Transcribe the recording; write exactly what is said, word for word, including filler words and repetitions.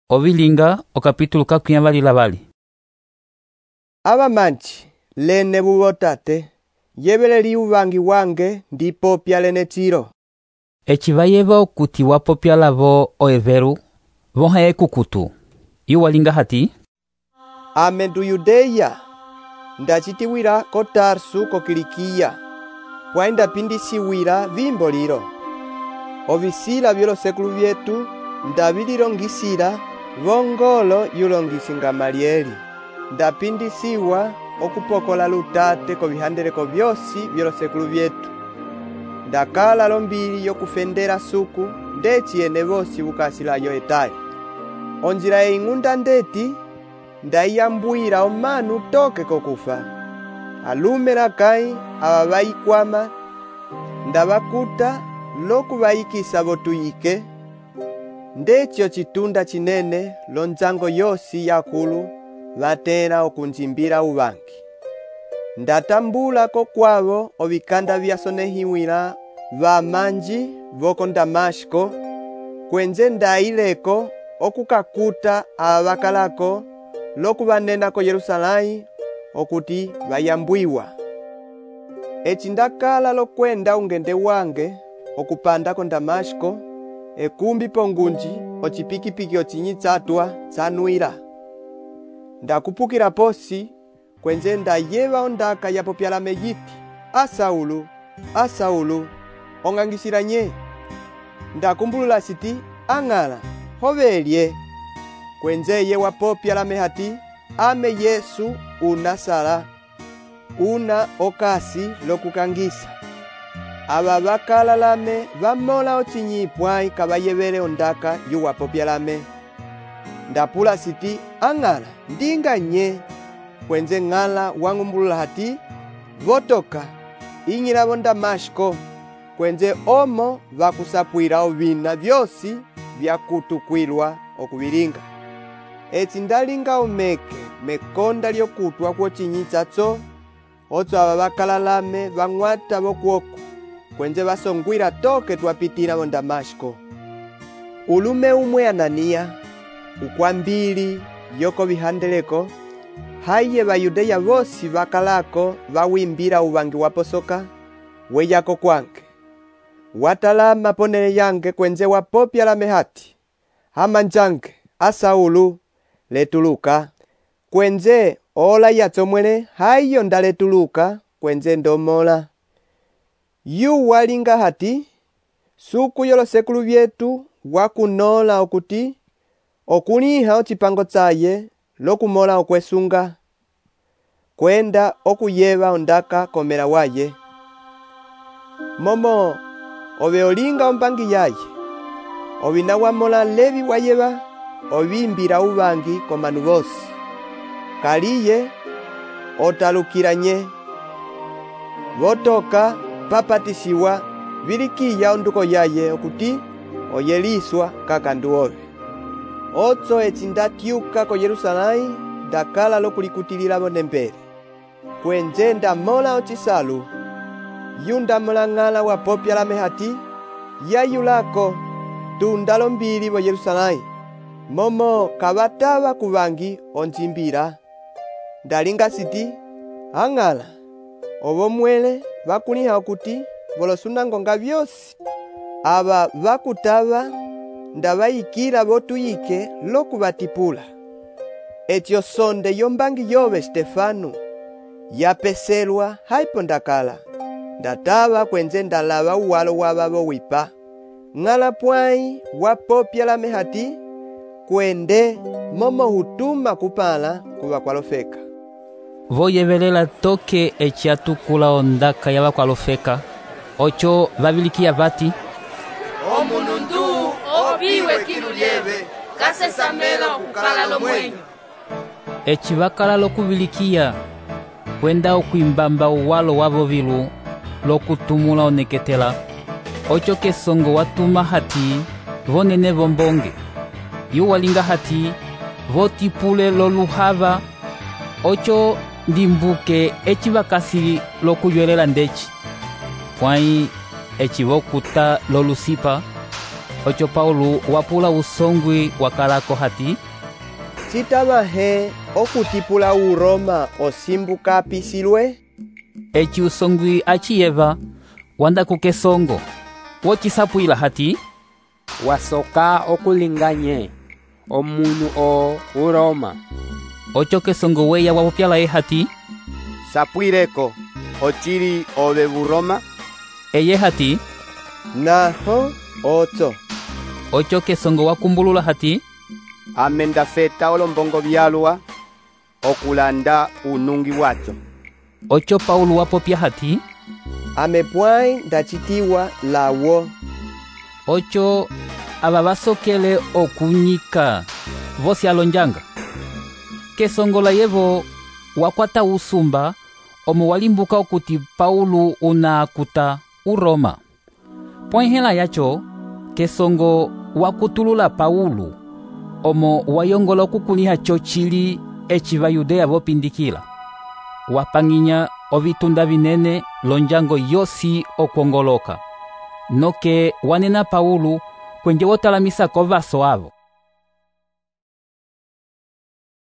Ovilinga okapítulo kakwiyambalila vali. Abamanchi lene bubotate yebeleli uvangi wange ndipopya lene tiro. Eci vayeva okuti wapopya lavo oeveru voha ekukutu. Iwalinga hati Ame ndu Yudeya ndachitiwira ko Tarsu ko Kilikia pwa ndapindisiwira vimbo liro. Ovisila byolosekulu vyetu ndabililongisila vongolo yulongisi Gamalieli. Ndapindisiwa okupokola lutate ko vihandeleko vyosi byolosekulu vyetu. Ndakala lombili yokufendela suku ndeci ene vosi bukasilayo etali. Onjila eing'unda ndeti ndayambwira omanu toke kokufa. Alume lakai aba bayikwama ndabakuta lokubayikisa botuyike. Ndechyo chitunda chinene lonzango yosi yakulu vatera okunjimbira uvangi. Ndatambula ko kwavo ovikanda vyasonehiwila vamanji voko Damashko kwenze ndaileko okukakuta abakalako lokubanena ko Yerusalai okuti bayambwiwa. Eci ndakala lokwenda ungende wange okupanda ko Damashko ekumbi pongunji ocipikipiki ocinyitsatwa tsanwila. Ndakupukila posi kwenze ndayeva ondaka yapopyalame yiti, A Saulu, A Saulu, ongangisila nye. Ndakumbulula siti, ang'ala, hovelye. Kwenze ye wapopyalame hati, ame Yesu unasala, una okasi lokukangisa. Aba bakalalame vamola ocinyipwai kabayevele ondaka yu wapopyalame. Ndapula siti, ang'ala, ndinga nye. Kwenze ng'ala wangumbulula hati, votoka, ing'ilavo Damashko, kwenze omo vakusapwila ovina vyosi vyakutukwilwa okuvilinga. Eci ndalinga omeke mekonda lyokutwa kwocinyitsatso, otso aba bakalalame vang'wata vokuoku, kwenze vasongwila toke twapitila vo Damashko. Ulume umwe Anania, ukwambili yoko vihandeleko, haye Bayudeya vosi vakalako vawimbila uvangi waposoka, weyako kwange. Watalama ponele yange kwenze wapopyalame hati, amanjange, A Saulu, letuluka, kwenze ola yatsomwele hayo ndaletuluka kwenze ndomola. Yu walinga hati, suku yolosekulu vyetu wakunola okuti, okuniha ocipango tsaye lokumola okwesunga, kwenda okuyeva ondaka komela waye. Momo, ove olinga ombangi yaye, ovina wamola levi wayeva, ovimbila uvangi komanu vosi. Kaliye, otalukila nye. Votoka, papatisiwa, vilikiya onduko yaye okuti, oyeliswa kakandu ove. Otso eci ndatyuka ko Yerusalai, ndakala lokulikutilila vonembele. Kwenze ndamola ocisalu, yu ndamola ng'ala wapopyalame hati, yayulako, tunda lombili vo Yerusalai, momo kavatava kuvangi onjimbila. Ndalinga siti, ang'ala, ovo mwele vakuniha okuti, volosunangonga vyosi, aba vakutava, ndavayikila votuyike lokuvatipula. Etyo sonde yombangi yove Stefanu, yapeselwa haipo ndakala. Ndatava kwenze ndalava uwalo wabavo wipa. Ng'ala pwai wapopyalame hati, kwende momo hutuma kupala kuva kwalofeka. voyevelela toke eci atukula ondaka yava kwalofeka, ocho vavilikiya vati, omunu ndu opiwe kilu lyeve kasesamela okukala lomwenyo. Eci vakala lokuvilikiya kwenda okwimbamba uwalo wavo vilu lokutumula oneketela, ocho kesongo watuma hati vonene vombonge. Yu walinga hati votipule loluhava, ocho ndimbuke eci vakasi lokuywelela ndeci. Pwai eci vokuta lolusipa, ocho Paulo wapula usongwi wakalako hati, citavahe okutipula uroma osimbuka apisilwe? eci usongwi aciyeva wanda kukesongo wocisapwila hati, wasoka okulinganye omunu o uroma. ocho kesongo weya wapopyalaye hati, sapwireko ocili ove buroma? eye hati, naho otso. ocho kesongo wakumbulula hati, ame ndafeta olombongo byalwa okulanda unungi wacho. ocho Paulo wapopya hati, ame pwai ndacitiwa lawo. ocho ava vasokele okunyika vosi alonjanga. Kesongola yevo wakwata usumba omo walimbuka okuti Paulo unakuta uroma. Pwenhela yacho kesongo wakutulula Paulo omo wayongola okukuliha chochili eci vayudea vopindikila. Wapanginya ovitunda vinene lonjango yosi okwongoloka. Noke wanena Paulo kwenje wotalamisa kovaso avo.